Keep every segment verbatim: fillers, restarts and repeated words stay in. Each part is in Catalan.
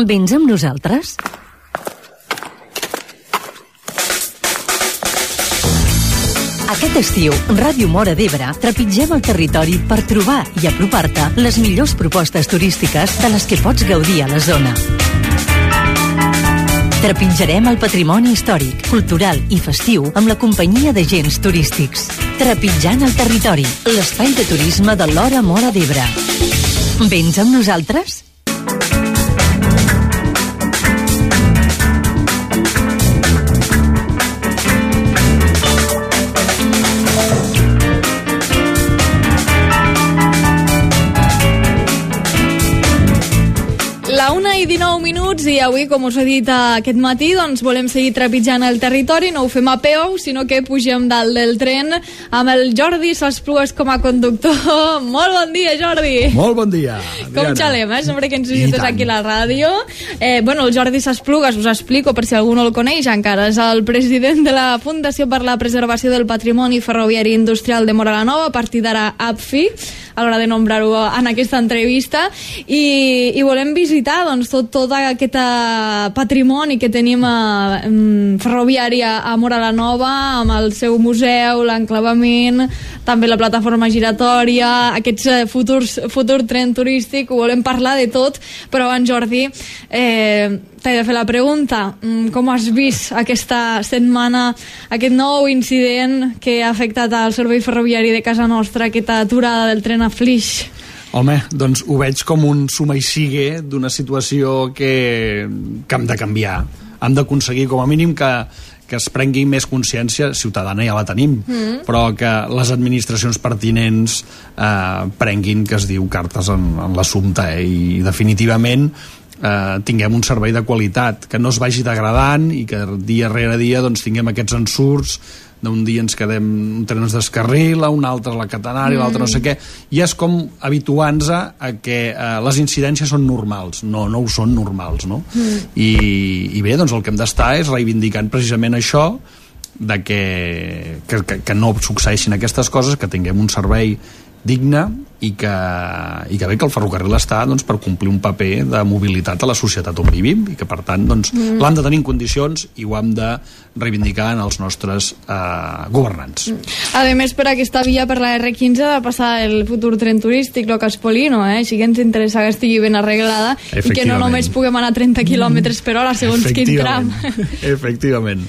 Vens amb nosaltres? Aquest estiu, Ràdio Móra d'Ebre trepitgem el territori per trobar i apropar-te les millors propostes turístiques de les que pots gaudir a la zona. Trepitjarem el patrimoni històric, cultural i festiu amb la companyia d'agents turístics. Trepitjant el territori, l'espai de turisme de l'Hora Móra d'Ebre. Vens amb nosaltres? La una i dinou minuts i avui, com us he dit aquest matí, doncs volem seguir trepitjant el territori. No ho fem a peu, sinó que pugem dalt del tren amb el Jordi Sasplugues com a conductor. Molt bon dia, Jordi. Molt bon dia, Adriana. Com xalem, eh? Sempre que ens visites aquí a la ràdio. Eh, bueno, el Jordi Sasplugues, us explico per si algú no el coneix encara, és el president de la Fundació per la Preservació del Patrimoni Ferroviari Industrial de Móra la Nova, a partir d'ara A P F I, a l'hora de nombrar-ho en aquesta entrevista, i, i volem visitar doncs, tot, tot aquest patrimoni que tenim a, um, ferroviari a, a Móra la Nova, amb el seu museu, l'enclavament, també la plataforma giratòria, aquests uh, futurs, futur tren turístic, ho volem parlar de tot, però abans, Jordi, eh, t'he de fer la pregunta. Com has vist aquesta setmana aquest nou incident que ha afectat al servei ferroviari de casa nostra, aquesta aturada del tren a Flix? Home, doncs ho veig com un suma i sigue d'una situació que, que hem de canviar. Hem d'aconseguir, com a mínim, que, que es prengui més consciència ciutadana, ja la tenim, mm. però que les administracions pertinents eh, prenguin, que es diu, cartes en, en l'assumpte, eh? I definitivament eh, tinguem un servei de qualitat, que no es vagi degradant i que dia rere dia doncs, tinguem aquests ensurts d'un dia ens quedem, un tren es descarrila, un altre la catenària, mm. l'altre no sé què, i és com habituant-nos a que eh, les incidències són normals. No, no ho són normals, no? Mm. I, i bé, doncs el que hem d'estar és reivindicant precisament això, de que, que, que, que no succeeixin aquestes coses, que tinguem un servei digne i que, i que bé que el ferrocarril està doncs, per complir un paper de mobilitat a la societat on vivim i que per tant doncs, mm. l'hem de tenir en condicions i ho hem de reivindicar en els nostres eh, governants. A més, per aquesta via, per la erre quinze, ha de passar el futur tren turístic, lo Caspolino, eh? Així que ens interessa que estigui ben arreglada i que no només puguem anar a trenta quilòmetres per hora segons quin tram. Efectivament.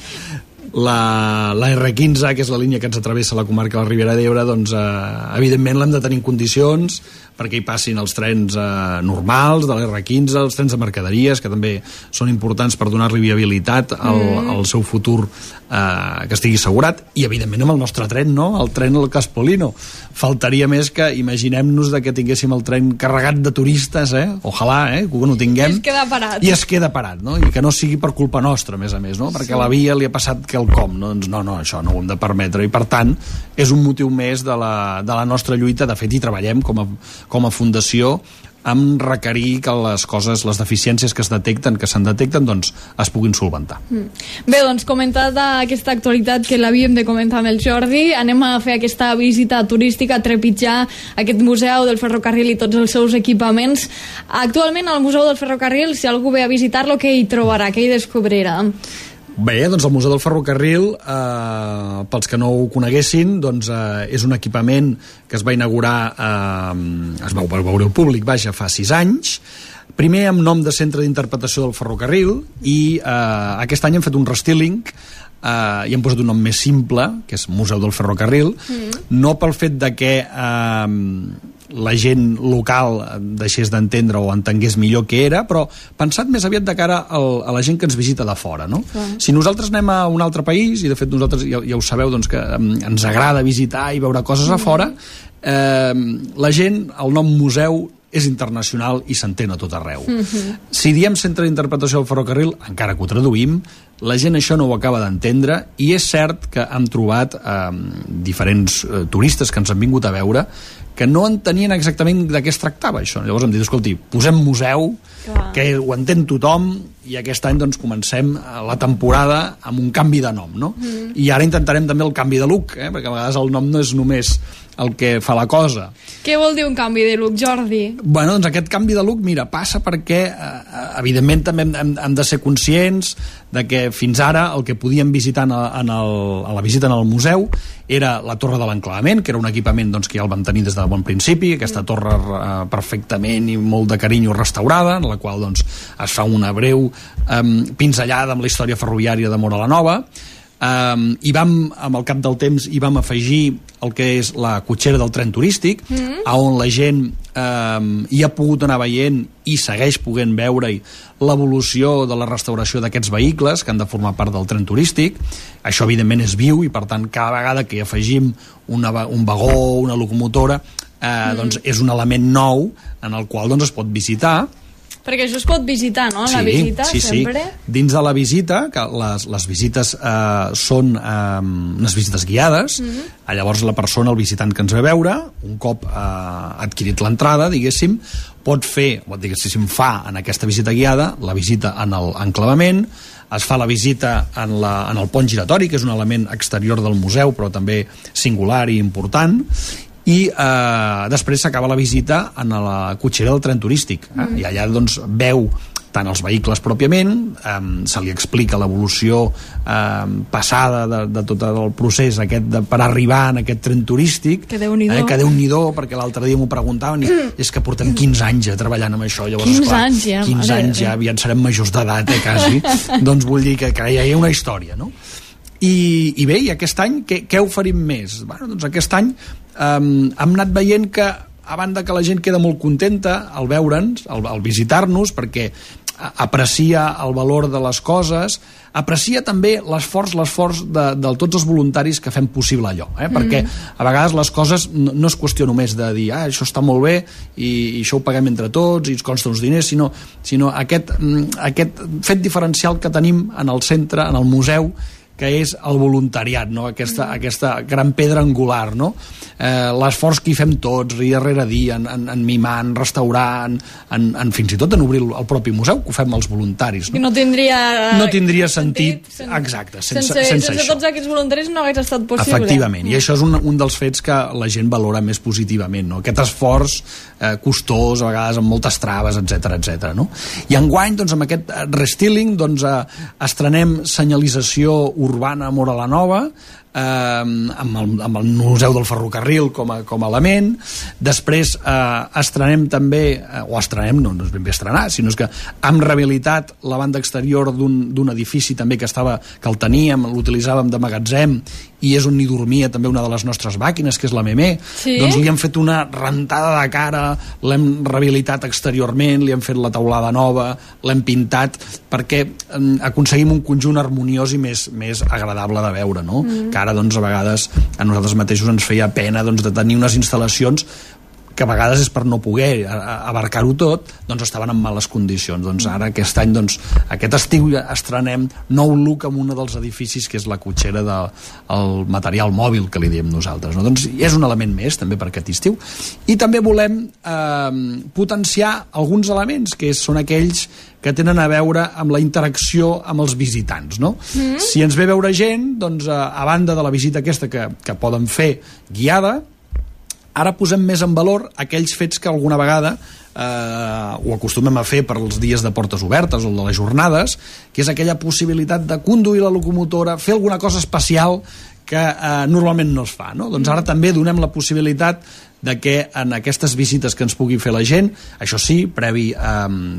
La, la erre quinze, que és la línia que ens travessa la comarca de la Ribera d'Ebre, doncs eh, evidentment l'hem de tenir en condicions perquè hi passin els trens eh, normals de l'erre quinze, els trens de mercaderies, que també són importants per donar-li viabilitat al, mm. al seu futur, eh, que estigui assegurat, i evidentment amb el nostre tren, no? El tren al Caspolino. Faltaria més que imaginem-nos de que tinguéssim el tren carregat de turistes, eh? Ojalà, eh? Que no tinguem. I es queda parat. I es queda parat, no? I que no sigui per culpa nostra, a més a més, no? Perquè sí. La via li ha passat quelcom, no? Doncs no, no, això no ho hem de permetre, i per tant és un motiu més de la, de la nostra lluita. De fet, hi treballem com a, com a fundació amb requerir que les coses, les deficiències que es detecten, que se'n detecten, doncs es puguin solventar. Mm. Bé, doncs comentada aquesta actualitat que l'havíem de comentar amb el Jordi, anem a fer aquesta visita turística, a trepitjar aquest museu del ferrocarril i tots els seus equipaments. Actualment al Museu del Ferrocarril, si algú ve a visitar-lo, què hi trobarà, què hi descobrirà? Bé, doncs el Museu del Ferrocarril, eh, pels que no ho coneguessin, doncs eh, és un equipament que es va inaugurar, eh, es va veure al públic, vaja, fa sis anys, primer amb nom de Centre d'Interpretació del Ferrocarril, i eh, aquest any hem fet un restyling, eh, i hem posat un nom més simple, que és Museu del Ferrocarril, mm. no pel fet de que eh, la gent local deixés d'entendre o entengués millor què era, però pensat més aviat de cara al, a la gent que ens visita de fora, no? Sí. Si nosaltres anem a un altre país, i de fet nosaltres ja, ja ho sabeu, doncs, que ens agrada visitar i veure coses mm. a fora, eh, la gent, el nom museu és internacional i s'entén a tot arreu. Mm-hmm. Si diem Centre d'Interpretació del Ferrocarril, encara que ho traduïm, la gent això no ho acaba d'entendre, i és cert que hem trobat eh, diferents eh, turistes que ens han vingut a veure que no entenien exactament de què es tractava això. Llavors hem dit, escolti, posem museu, clar, que ho entén tothom, i aquest any doncs comencem la temporada amb un canvi de nom, no? Mm. I ara intentarem també el canvi de look, eh? Perquè a vegades el nom no és només el que fa la cosa. Què vol dir un canvi de look, Jordi? Bueno, doncs aquest canvi de look, mira, passa perquè eh, evidentment també hem, hem, hem de ser conscients de que fins ara el que podíem visitar en el, en el, a la visita en el museu era la torre de l'enclavament, que era un equipament doncs, que ja el vam tenir des de bon principi, aquesta torre eh, perfectament i molt de carinyo restaurada, en la qual doncs, es fa una breu eh, pinzellada amb la història ferroviària de Móra la Nova. Um, i vam, amb el cap del temps, hi vam afegir el que és la cotxera del tren turístic, mm-hmm. on la gent um, hi ha pogut anar veient i segueix podent veure-hi l'evolució de la restauració d'aquests vehicles que han de formar part del tren turístic. Això evidentment és viu i per tant cada vegada que hi afegim una, un vagó, una locomotora, eh, mm. doncs és un element nou en el qual doncs, es pot visitar. Perquè això es pot visitar, no? Sí, la visita, sí, sempre. Sí. Dins de la visita, que les, les visites eh, són eh, unes visites guiades, mm-hmm. llavors la persona, el visitant que ens ve a veure, un cop eh, adquirit l'entrada, diguéssim, pot fer, o diguéssim, fa en aquesta visita guiada, la visita en l'enclavament, es fa la visita en, la, en el pont giratori, que és un element exterior del museu, però també singular i important, i eh, després s'acaba la visita en la cotxera del tren turístic, eh? Mm. I allà doncs veu tant els vehicles pròpiament, eh, se li explica l'evolució eh, passada de, de tot el procés aquest de, per arribar en aquest tren turístic, que Déu-n'hi-do, eh, que Déu-n'hi-do, perquè l'altre dia m'ho preguntaven i és que portem quinze anys ja treballant amb això, llavors quinze esclar, anys ja, quinze anys ja, aviat serem majors d'edat, eh, quasi doncs vull dir que, que ja hi ha una història, no? I, i bé, i aquest any què, què oferim més? Bueno, doncs aquest any um, hem anat veient que a banda que la gent queda molt contenta al veure'ns, al, al visitar-nos, perquè aprecia el valor de les coses, aprecia també l'esforç l'esforç de, de tots els voluntaris que fem possible allò, eh? Perquè a vegades les coses no, no és qüestió només de dir ah, això està molt bé i, i això ho paguem entre tots i ens consta uns diners, sinó, sinó aquest, aquest fet diferencial que tenim en el centre, en el museu, que és el voluntariat, no? aquesta, aquesta gran pedra angular, no? Eh, l'esforç que hi fem tots, dia rere dia, en, en, en mimar, en restaurar, en, en, en fins i tot en obrir el, el propi museu, que ho fem els voluntaris. No, I no tindria, no tindria sentit, sentit sen, exacte, sense, sense, sense, sense això. Tots aquests voluntaris no hagués estat possible. Efectivament, mm. i això és un, un dels fets que la gent valora més positivament, no? Aquest esforç eh, costós, a vegades amb moltes traves, etcètera, etcètera, no? I enguany, doncs, amb aquest restyling, doncs, eh, estrenem senyalització urbana a Móra la Nova, eh, amb, el, amb el Museu del Ferrocarril com a, com a element. Després eh, estrenem també, eh, o estrenem, no, no és ben bé estrenar, sinó és que hem rehabilitat la banda exterior d'un edifici també que estava, que el teníem, l'utilitzàvem de magatzem, i és on hi dormia també una de les nostres màquines, que és la Memé. Sí? Doncs li hem fet una rentada de cara, l'hem rehabilitat exteriorment, li hem fet la teulada nova, l'hem pintat, perquè eh, aconseguim un conjunt harmoniós i més, més agradable de veure, no? Mm. Que ara, doncs, a vegades a nosaltres mateixos ens feia pena, doncs, de tenir unes instal·lacions que a vegades és per no poder abarcar-ho tot, doncs estaven en males condicions. Doncs ara aquest any, doncs, aquest estiu estrenem nou look en un dels edificis, que és la cotxera del de, material mòbil, que li diem nosaltres, no? Doncs és un element més també per aquest estiu. I també volem eh, potenciar alguns elements que són aquells que tenen a veure amb la interacció amb els visitants, no? Mm. Si ens ve a veure gent, doncs a, a banda de la visita aquesta que, que poden fer guiada, ara posem més en valor aquells fets que alguna vegada eh, ho acostumem a fer per als dies de portes obertes o de les jornades, que és aquella possibilitat de conduir la locomotora, fer alguna cosa especial que eh, normalment no es fa, no? Doncs ara també donem la possibilitat de que en aquestes visites que ens pugui fer la gent, això sí, previ eh,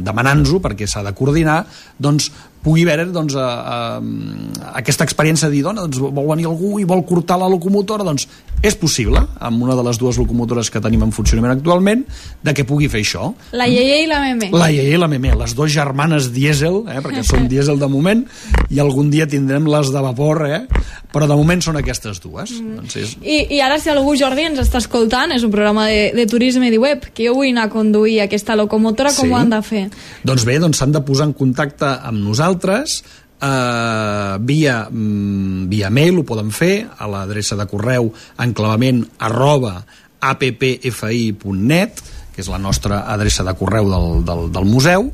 demanant-nos-ho, perquè s'ha de coordinar, doncs pugui haver doncs, eh, eh, aquesta experiència de dir, dona, doncs, vol venir algú i vol cortar la locomotora, doncs és possible, amb una de les dues locomotores que tenim en funcionament actualment, de que pugui fer això. La Yeye i la Memé. La Yeye i la Memé, les dues germanes dièsel, eh, perquè són dièsel de moment, i algun dia tindrem les de vapor, eh, però de moment són aquestes dues. Mm. Doncs és... I, I ara, si algú, Jordi, ens està escoltant, és un programa de, de turisme i de web, que jo vull anar a conduir aquesta locomotora, com sí. Ho han de fer? Doncs bé, doncs s'han de posar en contacte amb nosaltres, Uh, via, mm, via mail, ho poden fer a l'adreça de correu enclavament arroba appfi punt net, que és la nostra adreça de correu del, del, del museu,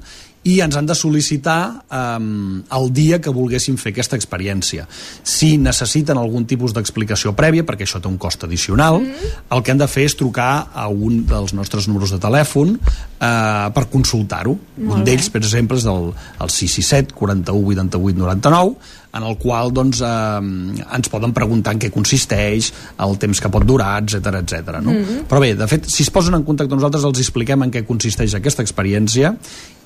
i ens han de sol·licitar um, el dia que volguessin fer aquesta experiència. Si necessiten algun tipus d'explicació prèvia, perquè això té un cost addicional, mm-hmm. el que han de fer és trucar a un dels nostres números de telèfon uh, per consultar-ho. Un d'ells, per exemple, és el, el sis sis set, quaranta-u, vuitanta-vuit, noranta-nou, en el qual doncs, eh, ens poden preguntar en què consisteix, el temps que pot durar, etcètera, etcètera. No? Mm-hmm. Però bé, de fet, si es posen en contacte amb nosaltres, els expliquem en què consisteix aquesta experiència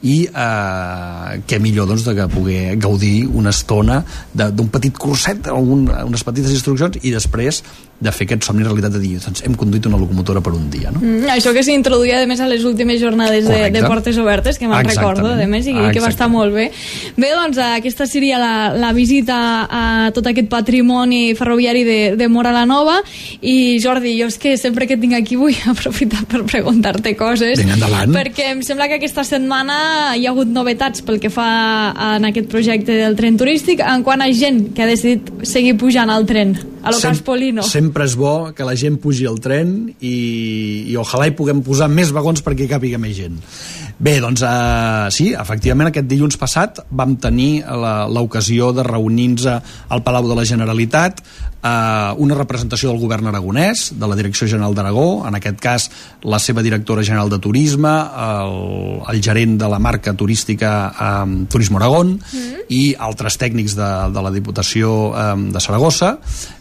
i eh, què millor doncs, de que poder gaudir una estona d'un petit curset, un, unes petites instruccions, i després de fer aquest somni realitat de dir, doncs hem conduït una locomotora per un dia. No? Mm, això que s'introduïa, a més, a les últimes jornades de, de portes obertes, que me'n recordo, a més, i que, que va estar molt bé. Bé, doncs, aquesta seria la, la visita a tot aquest patrimoni ferroviari de, de Móra la Nova. I, Jordi, jo és que sempre que tinc aquí vull aprofitar per preguntar-te coses. Vinga, endavant. Perquè em sembla que aquesta setmana hi ha hagut novetats pel que fa en aquest projecte del tren turístic, en quant a gent que ha decidit seguir pujant al tren, a lo Sem Caspolino. Sempre és bo que la gent pugi al tren i, i ojalà hi puguem posar més vagons perquè hi càpiga més gent. Bé, doncs uh, sí, efectivament aquest dilluns passat vam tenir l'ocasió de reunir-nos al Palau de la Generalitat, uh, una representació del govern aragonès, de la Direcció General d'Aragó, en aquest cas la seva directora general de turisme, el, el gerent de la marca turística um, Turismo Aragón, mm. i altres tècnics de, de la Diputació um, de Saragossa,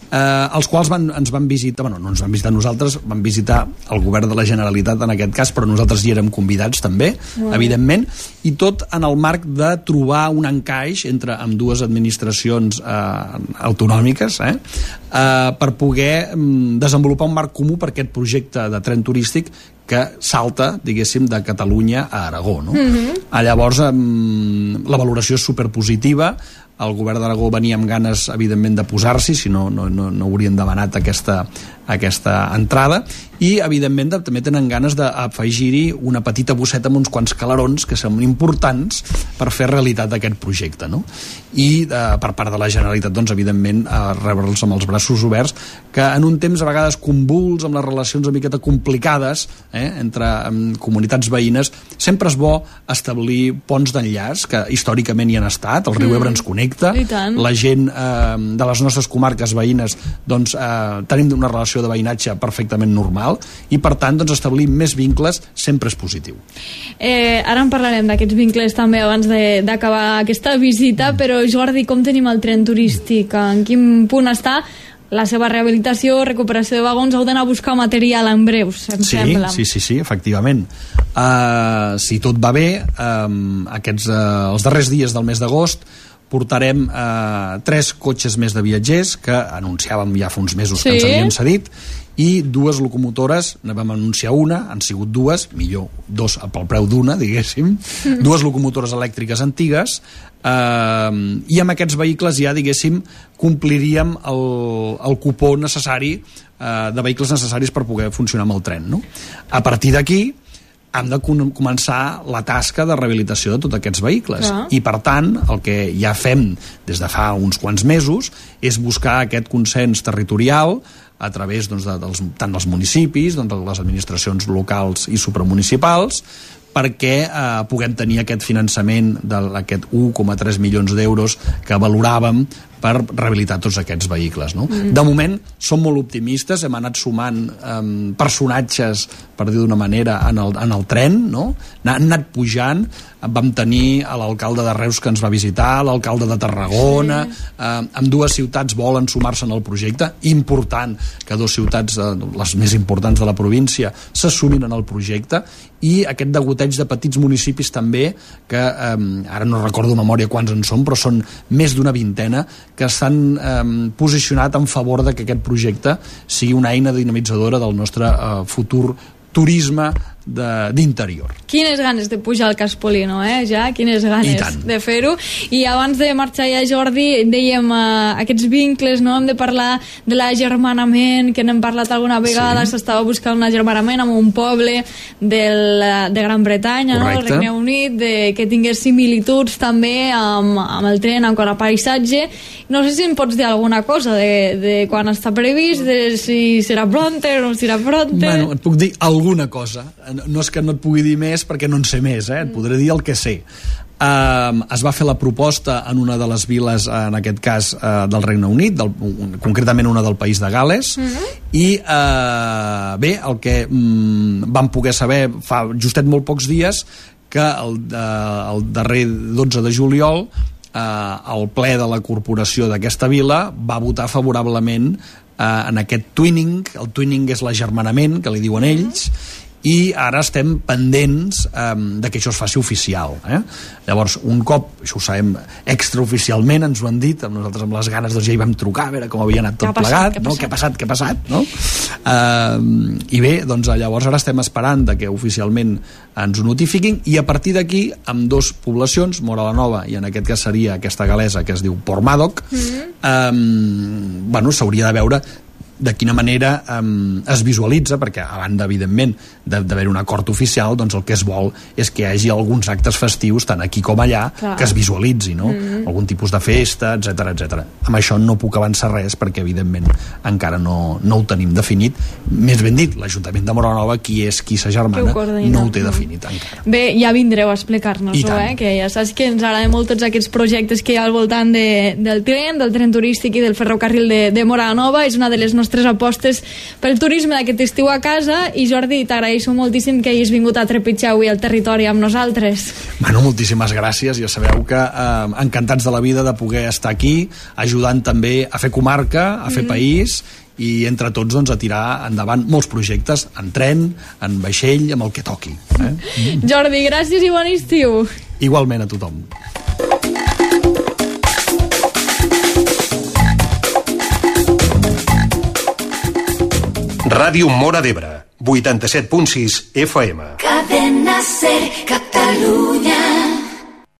eh, els quals van, ens van visitar, bueno, no ens van visitar nosaltres, van visitar el govern de la Generalitat en aquest cas, però nosaltres hi érem convidats també, wow. evidentment, i tot en el marc de trobar un encaix entre ambdues administracions eh, autonòmiques eh, eh, per poder mm, desenvolupar un marc comú per aquest projecte de tren turístic que salta, diguéssim, de Catalunya a Aragó. No? Mm-hmm. Llavors, eh, la valoració és superpositiva. El govern d'Aragó venia amb ganes, evidentment, de posar-s'hi, si no, no, no, no haurien demanat aquesta, aquesta entrada, i, evidentment, de, també tenen ganes d'afegir-hi una petita bosseta amb uns quants calarons que són importants per fer realitat aquest projecte. No? I, eh, per part de la Generalitat, doncs, evidentment, eh, rebre'ls amb els braços oberts, que en un temps, a vegades, convuls, amb les relacions una miqueta complicades eh, entre um, comunitats veïnes, sempre és bo establir ponts d'enllaç, que històricament hi han estat, el riu Ebre ens connecta, la gent eh, de les nostres comarques veïnes doncs, eh, tenim una relació de veïnatge perfectament normal i per tant doncs, establir més vincles sempre és positiu. Eh, ara en parlarem d'aquests vincles també abans d'acabar aquesta visita, mm. però Jordi, com tenim el tren turístic? En quin punt està la seva rehabilitació, recuperació de vagons? Heu d'anar a buscar material en breus, em sí, sembla. Sí, sí, sí, efectivament. Uh, si tot va bé, um, aquests, uh, els darrers dies del mes d'agost portarem eh, tres cotxes més de viatgers que anunciàvem ja fa uns mesos sí. que ens havien cedit, i dues locomotores, ne vam anunciar una, han sigut dues, millor dos pel preu d'una, diguéssim, mm. dues locomotores elèctriques antigues, eh, i amb aquests vehicles ja, diguéssim, compliríem el, el cupó necessari eh, de vehicles necessaris per poder funcionar amb el tren. No? A partir d'aquí hem de començar la tasca de rehabilitació de tots aquests vehicles. Ah. I, per tant, el que ja fem des de fa uns quants mesos és buscar aquest consens territorial a través doncs, de, dels, tant dels municipis, doncs, de les administracions locals i supramunicipals, perquè eh, puguem tenir aquest finançament d'aquest un coma tres milions d'euros que valoràvem per rehabilitar tots aquests vehicles. No? Mm. De moment, som molt optimistes, hem anat sumant eh, personatges, per dir d'una manera, en el, en el tren, no? Han anat pujant, vam tenir l'alcalde de Reus que ens va visitar, l'alcalde de Tarragona, sí. eh, amb dues ciutats volen sumar-se en el projecte, important que dues ciutats, eh, les més importants de la província, se sumin en el projecte, i aquest degoteig de petits municipis també, que eh, ara no recordo de memòria quants en són, però són més d'una vintena, que s'han eh, posicionat en favor de que aquest projecte sigui una eina dinamitzadora del nostre eh, futur turisme d'interior. Quines ganes de pujar al Caspolino, eh? Ja, quines ganes de fer-ho. I abans de marxar ja, Jordi, dèiem uh, aquests vincles, no? Hem de parlar de l'agermanament, que n'hem parlat alguna vegada, s'estava sí. buscant un agermanament amb un poble del, de Gran Bretanya, no? El Regne Unit, de, que tingués similituds també amb, amb el tren, amb quant a paisatge. No sé si em pots dir alguna cosa de, de quan està previst, de si serà pronter o no serà pronter. Bueno, et puc dir alguna cosa. No és que no et pugui dir més perquè no en sé més, eh? Et podré dir el que sé. eh, es va fer la proposta en una de les viles, en aquest cas eh, del Regne Unit, del, concretament una del país de Gal·les, mm-hmm. i eh, bé, el que mm, vam poder saber fa justet molt pocs dies, que el, eh, el darrer dotze de juliol eh, el ple de la corporació d'aquesta vila va votar favorablement eh, en aquest twinning. El twinning és l'agermanament, que li diuen ells, i ara estem pendents eh, de que això es faci oficial. Eh? Llavors, un cop, això ho sabem extraoficialment, ens ho han dit, amb nosaltres amb les ganes doncs ja hi vam trucar a veure com havia anat tot plegat, no? Què ha passat, què ha passat, no? Eh, I bé, doncs llavors ara estem esperant de que oficialment ens ho notifiquin, i a partir d'aquí, amb dos poblacions, Móra la Nova i en aquest cas seria aquesta galesa que es diu Portmadoc, mm-hmm. eh, bueno, s'hauria de veure de quina manera um, es visualitza, perquè a banda, evidentment, d'haver un acord oficial, doncs el que es vol és que hi hagi alguns actes festius, tant aquí com allà, clar, que es visualitzi, no? Mm-hmm. Algun tipus de festa, etcètera, etcètera. Amb això no puc avançar res, perquè, evidentment, encara no, no ho tenim definit. Més ben dit, l'Ajuntament de Móra la Nova, qui és qui s'agermana, no ho té definit encara. Bé, ja vindreu a explicar-nos-ho, eh? Que ja saps que ens agraden molt tots aquests projectes que hi ha al voltant de, del tren, del tren turístic i del ferrocarril de, de Móra la Nova. És una de les nostres tres apostes pel turisme d'aquest estiu a casa. I Jordi, t'agraeixo moltíssim que hagis vingut a trepitjar avui el territori amb nosaltres. Bueno, moltíssimes gràcies. Ja sabeu que eh, encantats de la vida de poder estar aquí, ajudant també a fer comarca, a fer mm. país, i entre tots doncs, a tirar endavant molts projectes en tren, en vaixell, amb el que toqui. Eh? Mm. Jordi, gràcies i bon estiu. Igualment a tothom. Ràdio Móra d'Ebre, vuitanta-set punt sis F M. Cadena Ser, Catalunya.